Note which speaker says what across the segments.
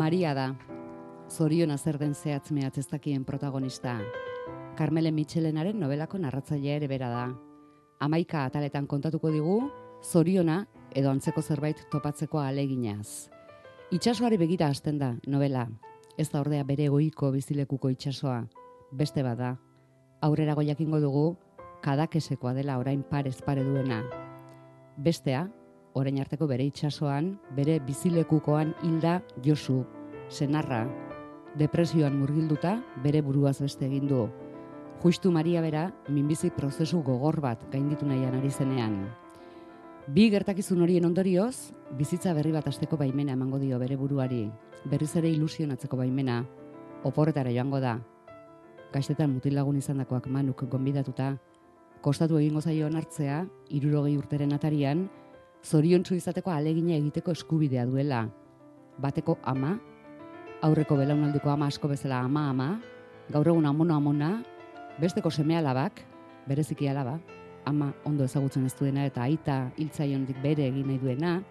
Speaker 1: Maria da, zoriona zer den zehatz mehatz ez dakien protagonista. Carmele Mitxelenaren nobelako narratzailea ere bera da. 11 ataletan kontatuko digu, zoriona edo antzeko zerbait topatzeko ahaleginaz. Itsasoari begira hasten da novela. Ez da ordea bere egoiko bizilekuko itsasoa, beste bada. Aurrerago jakingo dugu, Kadakesekoa dela orain parez pare duena. Bestea, orain arteko bere itsasoan, bere bizilekukoan hilda Josu, senarra, depresioan murgilduta bere buruaz beste egin du. Justu Maria bera, minbizi prozesu gogor bat gainditu nahian ari zenean. Bi gertakizun horien ondorioz, bizitza berri bat hasteko baimena emango dio bere buruari, berriz ere ilusionatzeko baimena, oporretara joango da. Gaztetan mutilagun izandakoak Manuk gonbidatuta, kostatu egingo zaio onartzea, 60 urteren atarian, zoriontsu izateko ahalegina egiteko eskubidea duela. Bateko ama, aurreko belaunaldiko ama asko bezala ama, gaur egun amona, besteko seme alabak, bereziki alaba, ama ondo ezagutzen ez duena eta aita hiltzaionetik bere egin nahi duena,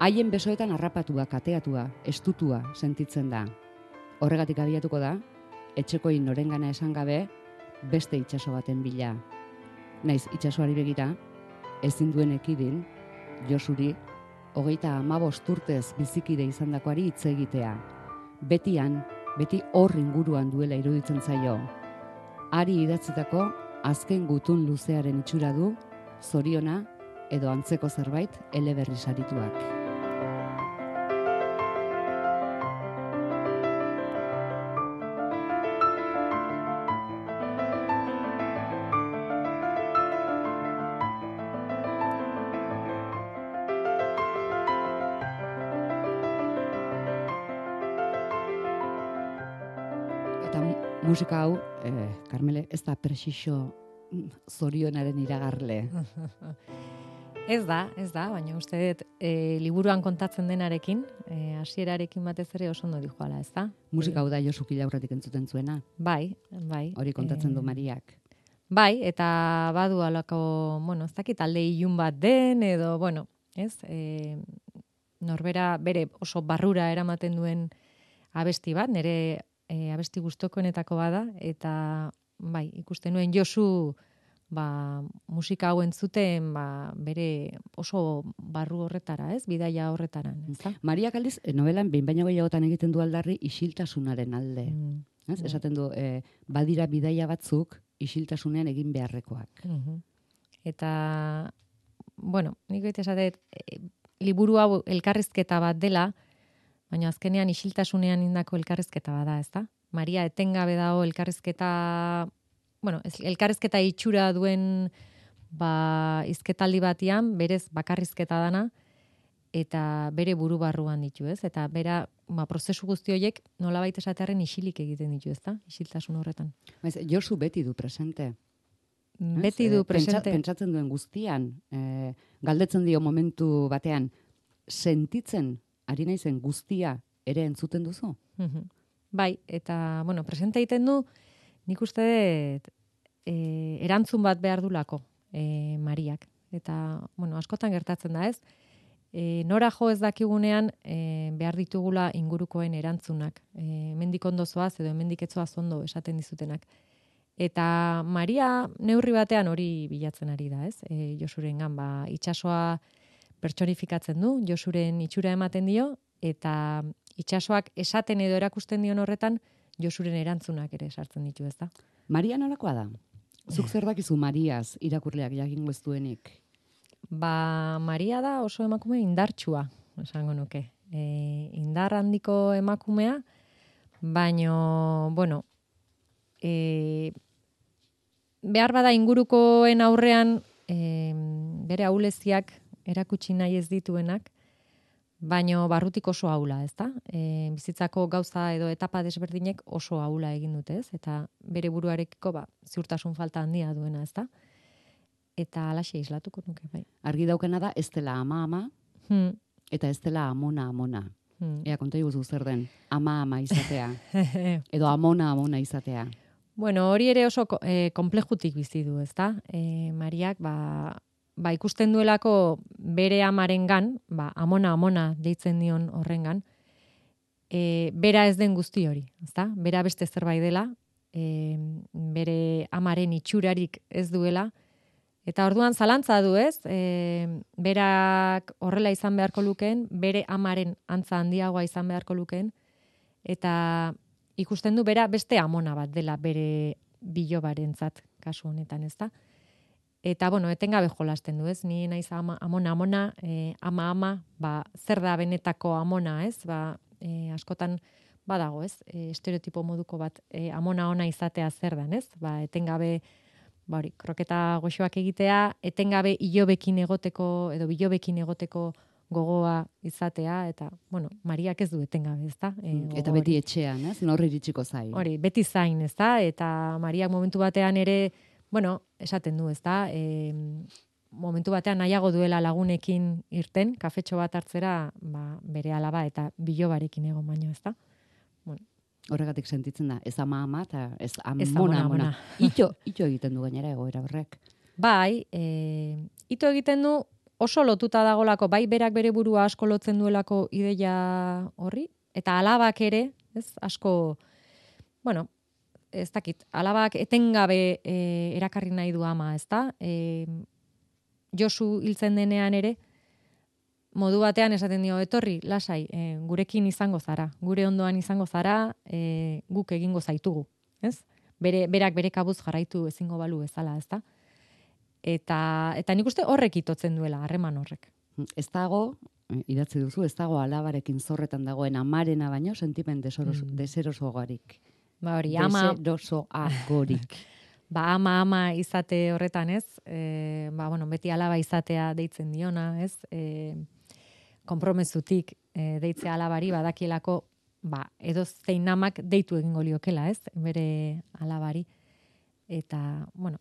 Speaker 1: haien besoetan harrapatua, kateatua, estutua sentitzen da. Horregatik abiatuko da, etxekoin norengana esan gabe, beste itsaso baten bila. Naiz itsasoari begira, ezin duen ekidin, Josuri, 35 urtez bizikide izandakoari hitz egitea. Beti hor inguruan duela iruditzen zaio. Ari idatzitako azken gutun luzearen itxura du, zoriona edo antzeko zerbait eleberri sarituak. Eta musika hau, Carmele, ez da presixo zorionaren iragarle.
Speaker 2: Ez da, baina uste dut liburuan kontatzen denarekin, hasierarekin batez ere oso ondo dijoala, ez da?
Speaker 1: Musika hau da Josu Kilaurretik entzuten zuena.
Speaker 2: Bai.
Speaker 1: Hori kontatzen du Mariak.
Speaker 2: Bai, eta badu alako, ez dakit alde ilun bat den, edo, ez? Norbera bere oso barrura eramaten duen abesti bat, nire abesti gustokoenetako bada, eta bai, ikusten nuen Josu musika hau entzuten bere oso barru horretara, ez? Bidaia horretaran, ez da?
Speaker 1: Mariak aldiz, novelan behin baino gehiagotan egiten du aldarri isiltasunaren alde. Esaten du, badira bidaia batzuk isiltasunean egin beharrekoak.
Speaker 2: Eta, nik goite esatet, liburu hau elkarrizketa bat dela, baina azkenean isiltasunean indako elkarrizketa bada, ez da? Maria etengabe dago elkarrizketa, elkarrizketa itxura duen izketaldi batian, berez bakarrizketa dana, eta bere buru barruan ditu, ez? Eta bera, prozesu guzti horiek nolabait esatearen isilik egiten ditu, ez da? Isiltasun horretan.
Speaker 1: Josu beti du presente.
Speaker 2: Beti du presente.
Speaker 1: Pentsatzen duen guztian, galdetzen dio momentu batean, sentitzen ari naizen guztia ere entzuten duzu?
Speaker 2: Bai, eta, presente egiten du, nik uste dut, erantzun bat behar dulako Mariak. Eta, askotan gertatzen da, ez? Nora jo ez dakigunean behar ditugula ingurukoen erantzunak. Hemendik ondo zoaz edo hemendik ez zoaz ondo esaten dizutenak. Eta Maria neurri batean hori bilatzen ari da, ez? Josurengan, itsasoa pertsonifikatzen du, Josuren itxura ematen dio, eta itsasoak esaten edo erakusten dion horretan, Josuren erantzunak ere sartzen ditu, ez da?
Speaker 1: Maria nolakoa da? Zuk zer dakizu Mariaz irakurleak jakingo ez duenik?
Speaker 2: Maria da oso emakume indartsua, esango nuke. Indar handiko emakumea, baino, behar bada ingurukoen aurrean bere ahuleziak erakutsi nahi ez dituenak, baino barrutik oso ahula, ez da? Bizitzako gauza edo etapa desberdinek oso ahula egin dute, ez? Eta bere buruarekiko ziurtasun falta handia duena, ez da? Eta alaxe islatuko nuke, bai.
Speaker 1: Argi daukena da, ez dela ama, eta ez dela amona. Ea, konta iguzu zer den, ama izatea. Edo amona izatea.
Speaker 2: Hori ere oso komplejutik bizi du, ez da? Mariak, ikusten duelako bere amarengan, amona deitzen dion horrengan, bera ez den guzti hori, ezta? Bera beste zerbait dela, bere amaren itxurarik ez duela, eta orduan zalantza du, ez? Berak horrela izan beharko lukeen, bere amaren antza handiagoa izan beharko lukeen, eta ikusten du bera beste amona bat dela bere bilobarentzat kasu honetan, ezta? Eta, bueno, etengabe jolasten du, ez? Ni naiz amona, ama, zer da benetako amona, ez? Askotan badago, ez? Estereotipo moduko bat, amona ona izatea zer dan, ez? Etengabe, kroketa goxoak egitea, etengabe ilobekin egoteko, edo bilobekin egoteko gogoa izatea, eta, bueno, Mariak ez du etengabe, ezta?
Speaker 1: Eta beti etxean, ez? Nor iritsiko zain.
Speaker 2: Hori, beti zain, ezta? Eta Mariak momentu batean ere, bueno, esaten du, ezta? Momentu batean nahiago duela lagunekin irten, kafetxo bat hartzera, bere alaba eta bilobarekin egon baino, ezta? Bueno.
Speaker 1: Horregatik sentitzen da, ez ama, eta ez amona. Ito egiten du gainera egoera horrek.
Speaker 2: Bai, ito egiten du oso lotuta dagolako, bai berak bere burua asko lotzen duelako ideia horri, eta alabak ere, ez, asko, bueno, ez dakit, alabak etengabe erakarri nahi du ama, ezta? Josu hiltzen denean ere, modu batean esaten dio, etorri, lasai, gurekin izango zara, gure ondoan izango zara, guk egingo zaitugu, ez? Berak bere kabuz jarraitu ezingo balu bezala, ezta? Eta nik uste horrek itotzen duela, harreman horrek.
Speaker 1: Ez dago, idatzi duzu, ez dago alabarekin zorretan dagoen amarena baino sentimen deserosoagorik.
Speaker 2: Hori, ama...
Speaker 1: Deserosoagorik.
Speaker 2: Ama izate horretan, ez? Beti alaba izatea deitzen diona, ez? Konpromezutik deitzea alabari badakielako, edo zein amak deitu egingo liokela, ez? Bere alabari. Eta, bueno,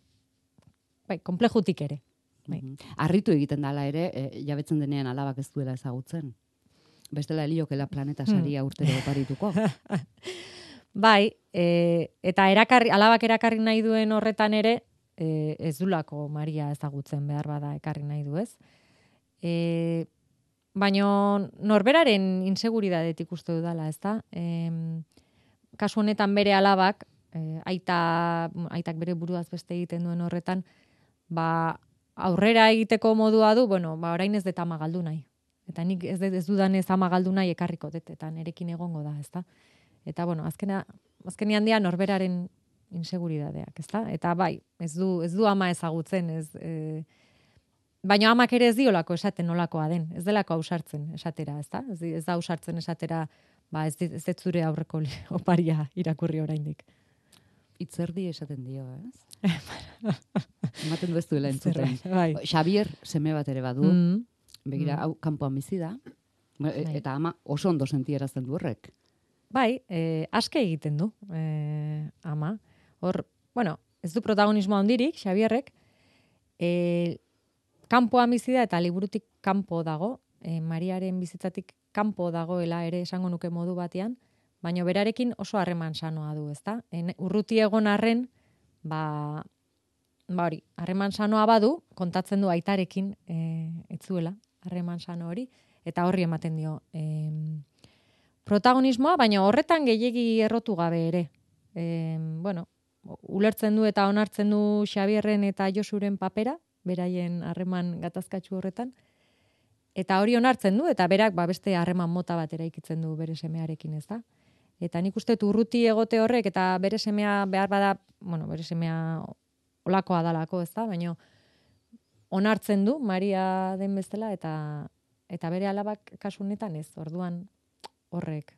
Speaker 2: konplejutik ere.
Speaker 1: Harritu egiten dala ere, jabetzen denean alabak ez duela ezagutzen. Bestela heliokela planeta saria urtero oparituko.
Speaker 2: Eta alabak erakarri nahi duen horretan ere, ez dulako Maria ezagutzen behar bada ekarri nahi du, ez? Baina norberaren inseguridadetik uste dudala, ez da? Kasu honetan bere alabak, aitak bere buruaz beste egiten duen horretan, aurrera egiteko modua du, orain ez dut ama galdu nahi. Eta nik ez dudan ez ama galdu nahi ekarriko dut, eta nerekin egongo da, ez da? Eta, azkenean dia norberaren inseguridadeak, ez da? Eta ez du ama ezagutzen, baina amak ere ez diolako esaten nolakoa den, ez delako ausartzen esatera, ez da? Ez da ausartzen esatera, ez dut zure aurreko oparia irakurri oraindik.
Speaker 1: Itzerdi esaten dio, ez? Ematen du ez duela entzuten. Xabier seme bat ere badu, begira, hau kanpoan bizi da, eta ama oso ondo sentierazten du horrek.
Speaker 2: Aske egiten du, ama. Hor, ez du protagonismo handirik, Xabierrek, kanpoan bizi da eta liburutik kanpo dago, Mariaren bizitzatik kanpo dagoela ere esango nuke modu batean, baina berarekin oso harreman sanoa du, ezta? Urruti egon arren, hori, harreman sanoa badu, kontatzen du aitarekin etzuela, harreman sano hori, eta horri ematen dio protagonismoa, baina horretan gehiegi errotu gabe ere. Ulertzen du eta onartzen du Xabierren eta Josuren papera, beraien harreman gatazkatsu horretan, eta hori onartzen du, eta berak beste harreman mota bat eraikitzen du bere semearekin, ez da? Eta nik uste urruti egote horrek, eta bere semea behar bada, bere semea olakoa dalako, ez da? Baina onartzen du Maria den bezala, eta bere alabak kasu honetan ez, orduan horrek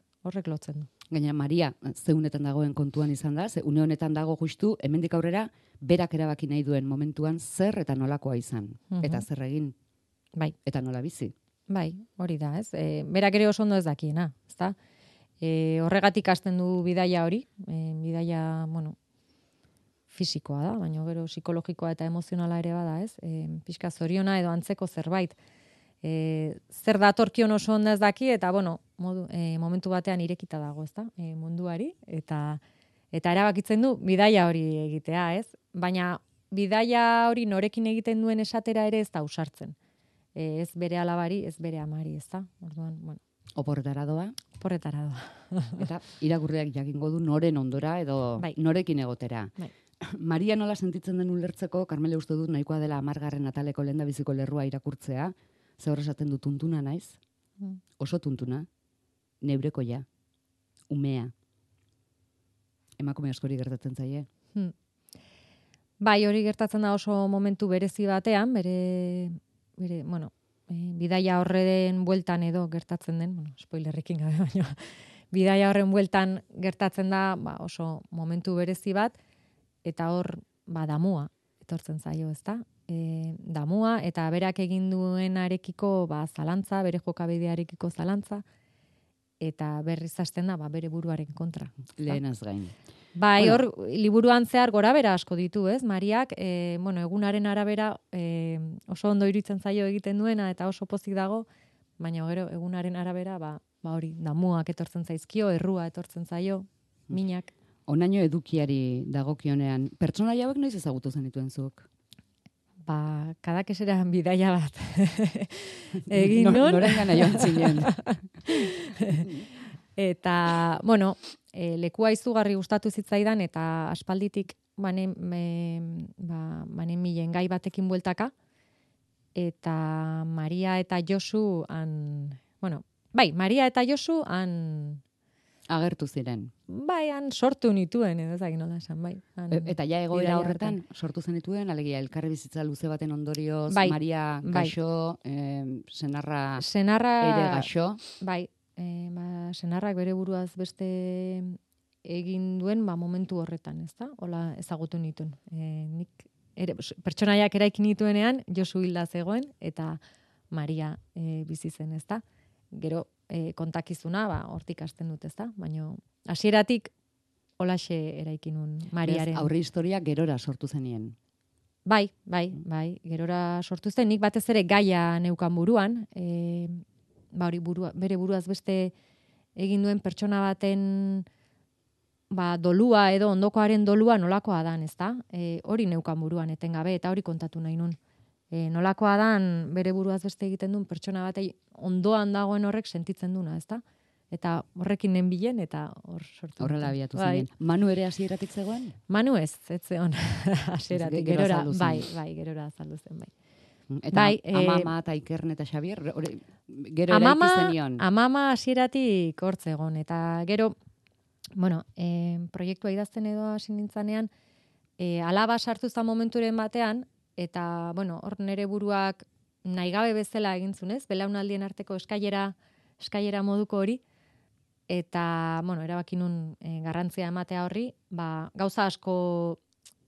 Speaker 2: lotzen du.
Speaker 1: Gaina Maria zeunetan dagoen kontuan izan da, ze une honetan dago justu, hemendik aurrera, berak erabaki nahi duen momentuan zer eta nolakoa izan. Eta zer egin. Eta nola bizi.
Speaker 2: Hori da, ez? Berak ere oso ondo ez dakiena, ez da? Horregatik hasten du bidaia hori, bidaia, fisikoa da, baina gero psikologikoa eta emozionala ere bada, ez? Pixka zoriona edo antzeko zerbait. Zer datorkion oso ondo ez daki, eta, momentu batean irekita dago, ez da? Munduari, eta erabakitzen du bidaia hori egitea, ez? Baina bidaia hori norekin egiten duen esatera ere ez da ausartzen. Ez bere alabari, ez bere amari, ez da? Orduan,
Speaker 1: Oporretara doa,
Speaker 2: Porretara doa.
Speaker 1: eta irakurriak jakingo du noren ondora edo
Speaker 2: Bai.
Speaker 1: norekin egotera.
Speaker 2: Bai.
Speaker 1: Maria nola sentitzen den ulertzeko, Karmele uste dut nahikoa dela 10. ataleko lehendabiziko lerrua irakurtzea, ze hor esaten du tuntuna naiz, oso tuntuna, neurekoia, umea. Emakume askori gertatzen zaie.
Speaker 2: Bai, hori gertatzen da oso momentu berezi batean, bere bidaia horren bueltan edo gertatzen den, spoilerrekin gabe, baina bidaia horren bueltan gertatzen da oso momentu berezi bat, eta hor damua etortzen zaio, ezta? Damua eta berak egin duenarekiko zalantza, bere jokabidearekiko zalantza, eta berriz hasten da bere buruaren kontra.
Speaker 1: Lehenaz gain.
Speaker 2: Bai, hor liburuan zehar gorabera asko ditu, ez? Mariak, egunaren arabera oso ondo iruditzen zaio egiten duena eta oso pozik dago, baina gero egunaren arabera hori damuak etortzen zaizkio, errua etortzen zaio, minak.
Speaker 1: Onaino edukiari dagokionean, pertsonaia hauek noiz ezagutu zenituen zuk?
Speaker 2: Kadakeseran bidaia bat egin nun.
Speaker 1: Norengana joan zinen.
Speaker 2: Eta, lekua izugarri gustatu zitzaidan, eta aspalditik banen milen gai batekin bueltaka, eta Maria eta Josu Maria eta Josu
Speaker 1: agertu ziren.
Speaker 2: Bai, han sortu nituen, edo ezagin nola esan, bai.
Speaker 1: Eta ja egoera horretan sortu zenituen, alegia elkarri bizitza luze baten ondorioz, Maria gaixo, senarra ere gaixo.
Speaker 2: Bai, senarrak bere buruaz beste egin duen momentu horretan, ezta? Hola ezagutu nituen. Nik pertsonaiak eraikin nituenean Josu hilda zegoen eta Maria bizi zen, ezta? Gero kontakizuna hortik hasten dut, ezta? Baina hasieratik holaxe eraikin nun Mariaren.
Speaker 1: Aurre historia gerora sortu zenien.
Speaker 2: Bai, gerora sortu zen, nik batez ere gaia neukan buruan, hori bere buruaz beste egin duen pertsona baten dolua edo ondokoaren dolua nolakoa dan, ezta? Hori neukan buruan etengabe eta hori kontatu nahi nun. Nolakoa dan bere buruaz beste egiten duen pertsona batei ondoan dagoen horrek sentitzen duna, ezta? Eta horrekin nenbilen eta hor sortu.
Speaker 1: Horrela abiatu zinen. Manu ere hasieratik zegoen?
Speaker 2: Manu ez zegoen hasieratik. Gerora, gerora azaldu zen, bai.
Speaker 1: Eta Amama eta Ikern eta Xabier, gero eraiki zenion?
Speaker 2: Amama hasieratik hor zegoen, eta gero, proiektua idazten edo hasi nintzanean, alaba sartu zen momenturen batean, eta, hor nere buruak nahigabe bezala egin zunez, belaunaldien arteko eskailera moduko hori, eta, erabaki nun garrantzia ematea horri, gauza asko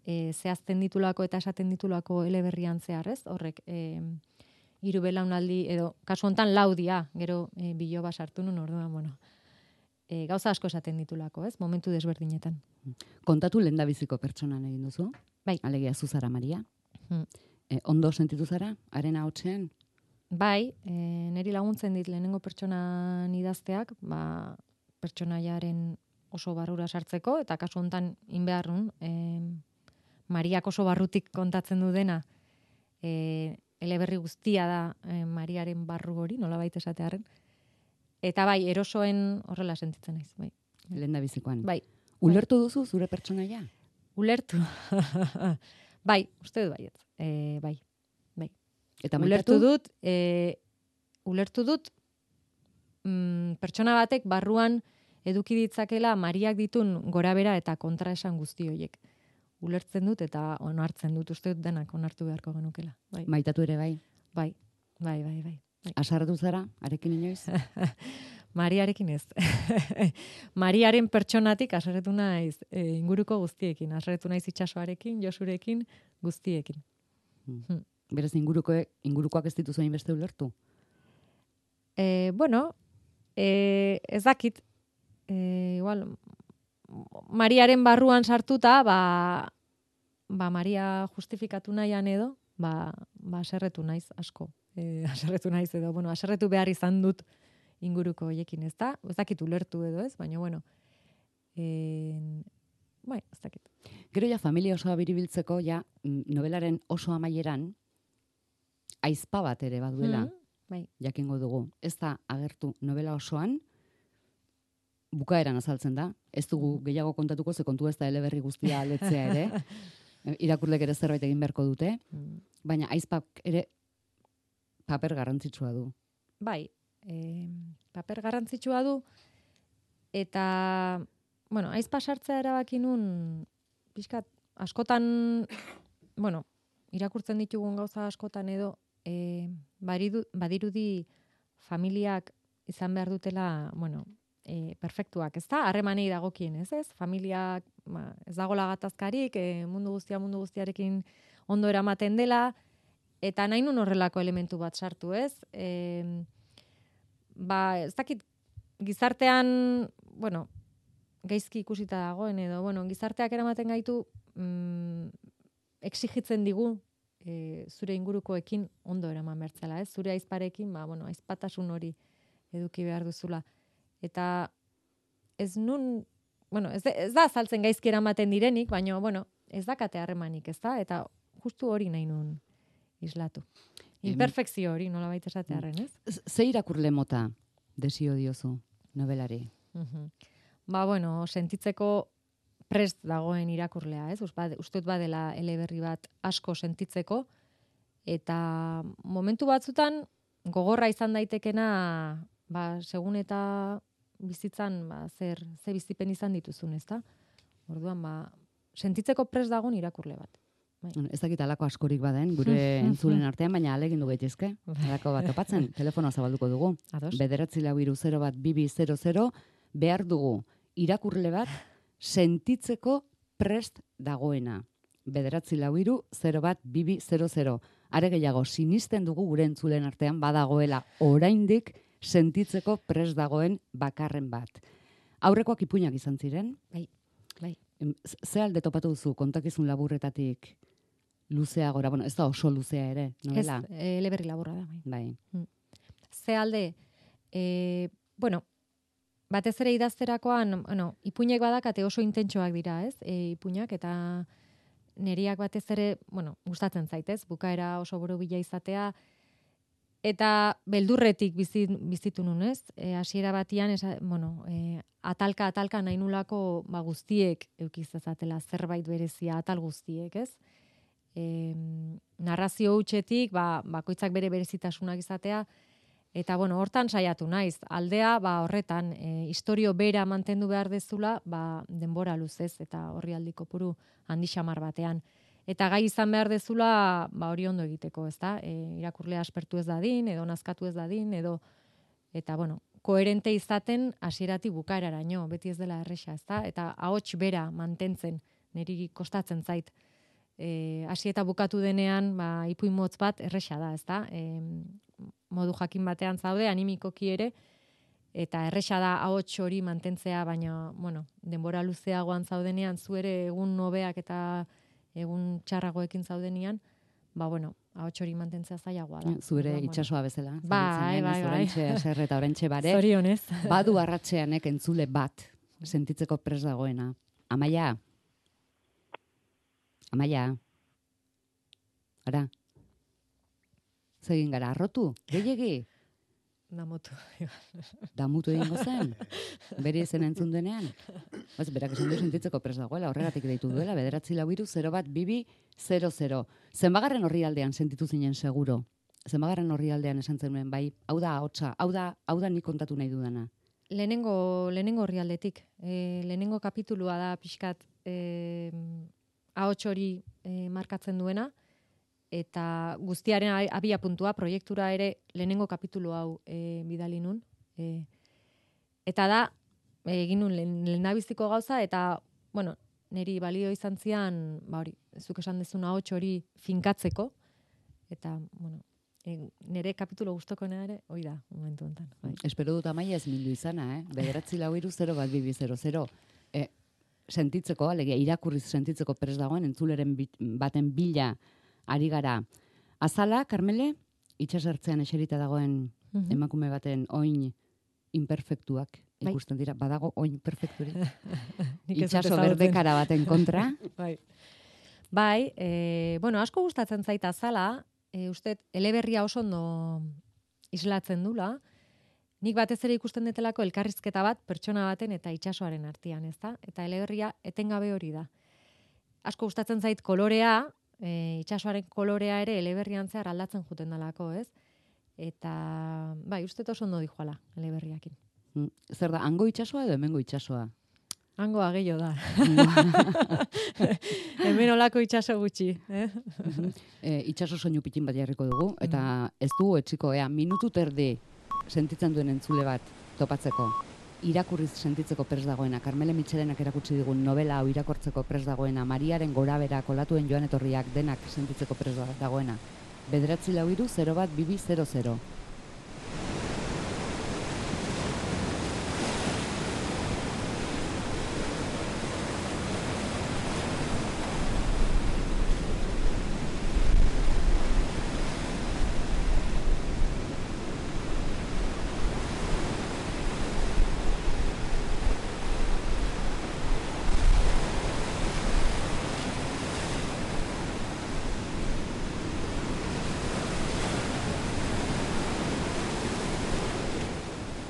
Speaker 2: zehazten ditulako eta esaten ditulako eleberrian zehar, ez? Horrek, 3 belaunaldi, edo, kasu hontan laudia, gero biloba sartu nun, orduan, gauza asko esaten ditulako, ez? Momentu desberdinetan.
Speaker 1: Kontatu lehendabiziko pertsonan egin duzu?
Speaker 2: Bai.
Speaker 1: Alegia zu zara Maria? Ondo sentitu zara, haren ahotsean?
Speaker 2: Bai, niri laguntzen dit lehenengo pertsonan idazteak, pertsonaiaren oso barrura sartzeko, eta kasu hontan inbeharrun, Mariak oso barrutik kontatzen du dena, eleberri guztia da Mariaren barru hori, nolabait esatearren. Eta bai, erosoen horrela sentitzen naiz, bai.
Speaker 1: Lehendabizikoan.
Speaker 2: Bai.
Speaker 1: Ulertu duzu zure pertsonaia?
Speaker 2: Ulertu. Bai, uste dut baiet. Bai.
Speaker 1: Eta maitatu?
Speaker 2: Ulertu dut pertsona batek barruan eduki ditzakela Mariak ditun gorabera eta kontraesan guzti horiek. Ulertzen dut eta onartzen dut, uste dut denak onartu beharko genukela. Bai.
Speaker 1: Maitatu ere bai?
Speaker 2: Bai.
Speaker 1: Asartu zara, arekin inoiz?
Speaker 2: Mariarekin ez. Mariaren pertsonatik asarretu naiz inguruko guztiekin. Asarretu naiz itsasoarekin, Josurekin, guztiekin.
Speaker 1: Berez ingurukoak ez dituzu hain beste ulertu?
Speaker 2: Ez dakit. Igual, Mariaren barruan sartuta, Maria justifikatu nahian edo, aserretu naiz asko. Aserretu naiz edo, aserretu behar izan dut inguruko hoiekin, ez da? Ez dakit ulertu edo ez, baina, ez dakit.
Speaker 1: Gero ja familia osoa biribiltzeko, ja novelaren oso amaieran, aizpa bat ere baduela.
Speaker 2: Bai.
Speaker 1: jakingo dugu. Ez da agertu novela osoan, bukaeran azaltzen da. Ez dugu gehiago kontatuko, ze kontua ez da eleberri guztia aletzea ere. Irakurlek ere zerbait egin beharko dute. Baina aizpak ere paper garrantzitsua du.
Speaker 2: Bai, paper garrantzitsua du, eta, bueno, aizpa sartzea erabaki nun, pixkat, askotan, bueno, irakurtzen ditugun gauza askotan edo, badirudi familiak izan behar dutela, bueno, perfektuak, ez da? Harremanei dagokien, ez? Familiak, ez dagoela gatazkarik, mundu guztiarekin ondo eramaten dela, eta nahi nun horrelako elementu bat sartu, ez? Ez dakit, gizartean, bueno, gaizki ikusita dagoen edo, bueno, gizarteak eramaten gaitu, exigitzen digu, zure ingurukoekin ondo eraman bertzela, ez? Zure aizparekin, bueno, aizpatasun hori eduki behar duzula. Eta ez nun, bueno, ez da azaltzen gaizki eramaten direnik, baina, bueno, ez dakate harremanik, ez da? Eta justu hori nahi nun islatu. Imperfekzio hori, nola baita esatearen, ez?
Speaker 1: Ze irakurle mota desio diozu novelari?
Speaker 2: Bueno, sentitzeko prest dagoen irakurlea, ez? Uste badela eleberri bat asko sentitzeko, eta momentu batzutan gogorra izan daitekena, segun eta bizitzan, ze bizipen izan dituzun, ez da? Orduan, sentitzeko prest dagoen irakurle bat.
Speaker 1: Ez dakit alako askorik baden, gure entzulen artean, baina alegin du gaitezke. Alako bat topatzen, telefonoa zabalduko dugu. 944-2200, behar dugu irakurle bat sentitzeko prest dagoena. 944-2200. Are gehiago, sinisten dugu gure entzulen artean badagoela oraindik sentitzeko prest dagoen bakarren bat. Aurrekoak ipuinak izan ziren?
Speaker 2: Bai.
Speaker 1: Ze alde topatu duzu kontakizun laburretatik luzea gora? Bueno, ez da oso luzea ere, novela?
Speaker 2: Ez, eleberri laburra da.
Speaker 1: Bai.
Speaker 2: Ze alde, bueno, batez ere idazterakoan, ipuinek badakate oso intentsoak dira, ez? Ipuinak, eta neriak batez ere, bueno, gustatzen zaitez, bukaera oso borobila izatea, eta beldurretik bizitu nun, ez? Hasiera batian, atalka nahi nulako guztiek eukizazatela zerbait berezia, atal guztiek, ez? Narrazio hutsetik, bakoitzak bere berezitasunak izatea, eta, bueno, hortan saiatu naiz. Aldea, horretan, istorio bera mantendu behar dezula, denbora luzez, eta horri aldiko puru handi xamar batean. Eta gai izan behar dezula, hori ondo egiteko, ez da? Irakurlea aspertu ez dadin, edo nazkatu ez dadin, eta, bueno, koherente izaten hasieratik bukaeraraino, beti ez dela erresa, ez da? Eta ahots bera mantentzen, niri kostatzen zait. Hasi eta bukatu denean, ipuin motz bat erresa da, ez da? Modu jakin batean zaude, animikoki ere, eta erresa da ahots hori mantentzea, baina, bueno, denbora luzeagoan zaudenean, zu ere egun nobeak eta egun txarragoekin zaudenean, bueno, ahots hori mantentzea zailagoa da.
Speaker 1: Zure itsasoa bezala.
Speaker 2: Bai.
Speaker 1: Orantxe aserre eta orantxe bare.
Speaker 2: Zorionez.
Speaker 1: Badu arratseanek entzule bat sentitzeko prest dagoena. Amaia. Ara. Zegin gara, arrotu? Gehiegi? Damutu egingo zen? Bere izen entzun denean? Berak esan du sentitzeko prest dagoela, horregatik deitu duela, 944-2200. Zenbagarren horri aldean sentitu zinen seguro? Zenbagarren horri aldean esan zenuen, bai, hau da ahotsa, hau da nik kontatu nahi dudana?
Speaker 2: Lehenengo horri aldetik. Lehenengo kapitulua da pixkat ahots hori markatzen duena, eta guztiaren abia puntua, proiektura ere lehenengo kapitulu hau bidali nun. Eta da, egin nun lehendabiziko gauza, eta, bueno, niri balio izan zian, hori, zuk esan dezuna ahots hori finkatzeko, eta, bueno, nire kapitulo guztokoena ere, hoi da, momentu enten.
Speaker 1: Espero dut Amaia ez mindu izana, 944-2200. Sentitzeko, alegia, irakurriz sentitzeko prest dagoen, entzuleren baten bila ari gara. Azala, Karmele, itxasertzean eserita dagoen emakume baten oin imperfektuak ikusten dira. Badago oin perfekturik. Itxaso berdekara baten kontra.
Speaker 2: Bueno, asko gustatzen zaita Azala, uste eleberria oso ondo islatzen dula, nik batez ere ikusten detelako elkarrizketa bat pertsona baten eta itsasoaren artean, ezta? Eta eleberria etengabe hori da. Asko gustatzen zait kolorea, itsasoaren kolorea ere eleberrian zehar aldatzen juten dalako, ez? Eta, bai, uste oso ondo dijoala eleberriakin.
Speaker 1: Zer da, hango itsasoa edo hemengo itsasoa?
Speaker 2: Hango ageio da. Hemen olako itsaso gutxi.
Speaker 1: Itsaso soinu pitin bat jarriko dugu, eta ez dugu etxiko, minutu terdi sentitzen duen entzule bat topatzeko. Irakurriz sentitzeko prest dagoena, Karmele Mitxelenak erakutsi digun novela hau irakortzeko prest dagoena, Mariaren gorabera, kolatuen joan etorriak denak sentitzeko prest dagoena. 943012200.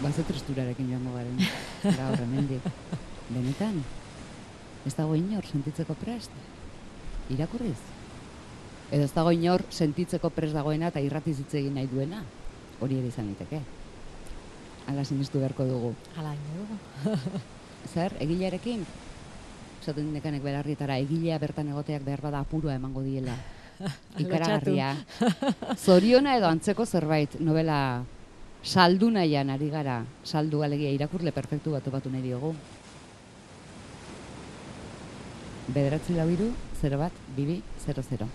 Speaker 1: Baze tristurarekin joango garen, gaur hemendik. Benetan, ez dago inor sentitzeko prest? Irakurriz? Edo ez dago inor sentitzeko prest dagoena eta irratiz hitz egin nahi duena? Hori ere izan liteke. Hala sinistu beharko dugu.
Speaker 2: Hala dugu.
Speaker 1: Zer, egilearekin? Esaten nekanek belarrietara, egilea bertan egoteak behar bada apurua emango diela. Ikaragarria. Zoriona edo antzeko zerbait, novela saldu nahian ari gara, saldu alegia irakurle perfektu bat topatu nahi diogu. 943012200.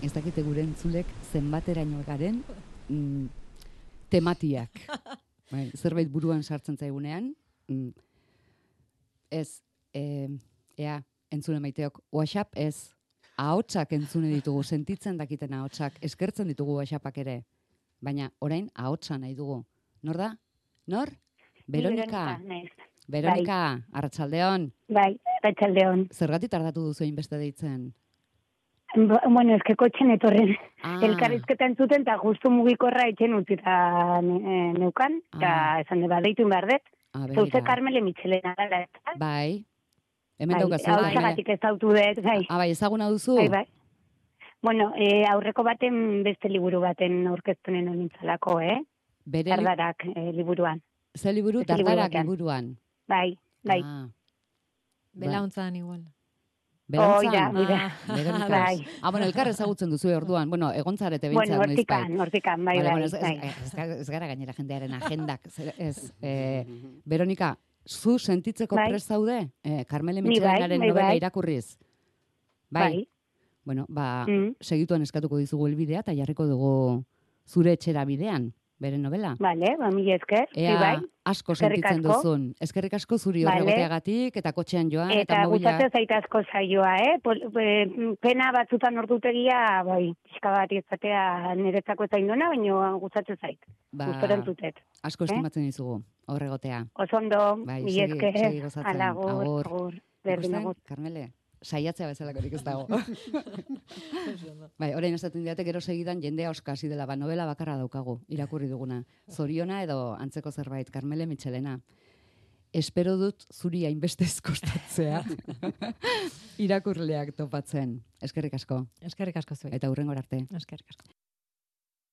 Speaker 1: Ez dakite gure entzulek zenbateraino garen tematiak. Bai, zerbait buruan sartzen zaigunean, ez, entzune maiteok, WhatsApp ez, ahotsak entzune ditugu, sentitzen dakiten ahotsak, eskertzen ditugu WhatsAppak ere, baina orain ahotsa nahi dugu. Nor da? Nor? Veronika. Veronika, arratsaldeon.
Speaker 3: Bai, arratsaldeon.
Speaker 1: Zergatik tardatu duzu hainbeste deitzen?
Speaker 3: Bueno, eske kotxen etorren elkarrizketa entzuten, eta justu mugikorra etxen utzita neukan, eta esan deba deitu behar dut. Zauze Karmele Mitxelena dela, ez da?
Speaker 1: Bai. Hemen daukazu.
Speaker 3: Hau txagatik ez dautu dut, bai.
Speaker 1: Bai, ezaguna duzu?
Speaker 3: Bai. Bueno, aurreko baten beste liburu baten aurkeztunen honintzalako, Dardarak liburuan.
Speaker 1: Ze liburu? Dardarak liburuan.
Speaker 3: Bai.
Speaker 2: Belauntzan igual.
Speaker 1: Berantzan?
Speaker 3: Bai.
Speaker 1: Bueno, elkar ezagutzen duzu orduan. Bueno, egontzarete bintzat noiz bai.
Speaker 3: Hortikan, bai.
Speaker 1: Ez gara gainera jendearen agendak. Veronika, zu sentitzeko prest zaude? Karmele Mitxelenaren novela irakurriz? Bai. Bueno, segituan eskatuko dizugu helbidea eta jarriko dugu zure etxera bidean. Bere novela.
Speaker 3: Bale, mila esker.
Speaker 1: Ea, asko sentitzen duzun. Eskerrik asko zuri horregoteagatik, eta kotxean joan, eta mobila.
Speaker 3: Eta gustatzen zait asko zaioa, Pena batzutan ordutegia, pixka bat izatea niretzako ez zaindona, baina gustatzen zait. Gustoren zutet.
Speaker 1: Asko estimatzen dizugu, horregotea.
Speaker 3: Osondo, mila esker.
Speaker 1: Segi gozatzen.
Speaker 3: Agur. Berdin agur.
Speaker 1: Karmele, saiatzea bezalakorik ez dago. Bai, orain esaten diate gero segidan jendea oskasi dela, novela bakarra daukagu, irakurri duguna. Zoriona edo antzeko zerbait, Karmele Mitxelena. Espero dut zuri hainbestez kostatzea irakurleak topatzen. Eskerrik asko.
Speaker 2: Eskerrik asko zuek.
Speaker 1: Eta hurrengora arte.
Speaker 2: Eskerrik asko.